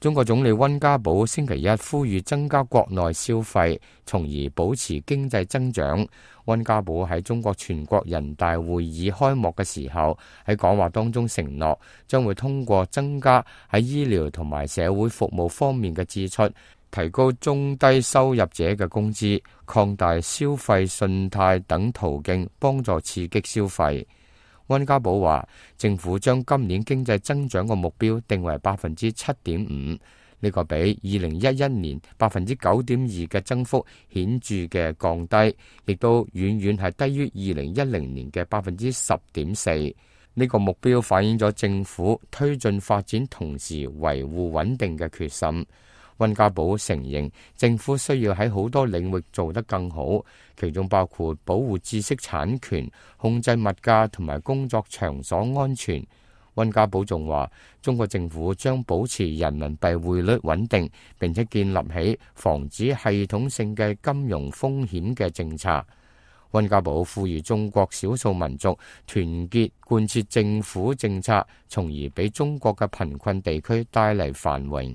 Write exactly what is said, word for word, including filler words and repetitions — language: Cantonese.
中國總理溫家寶星期一呼籲增加國內消費，從而保持經濟增長。溫家寶喺中國全國人大會議開幕嘅時候，喺講話當中承諾，將會通過增加喺醫療同埋社會服務方面嘅支出，提高中低收入者嘅工資，擴大消費信貸等途徑，幫助刺激消費。溫家寶話，政府將今年經濟增長嘅目標定為百分之七點五，呢個比二零一一年百分之九點二嘅增幅顯著嘅降低，亦都遠遠係低於二零一零年嘅百分之十點四。呢個目標反映咗政府推進發展同時維護穩定嘅決心。溫家寶承認政府需要喺好多領域做得更好，其中包括保護知識產權、控制物價同埋工作場所安全。溫家寶仲話，中國政府將保持人民幣匯率穩定，並且建立起防止系統性嘅金融風險嘅政策。溫家寶呼籲中國少數民族團結貫徹政府政策，從而俾中國嘅貧困地區帶嚟繁榮。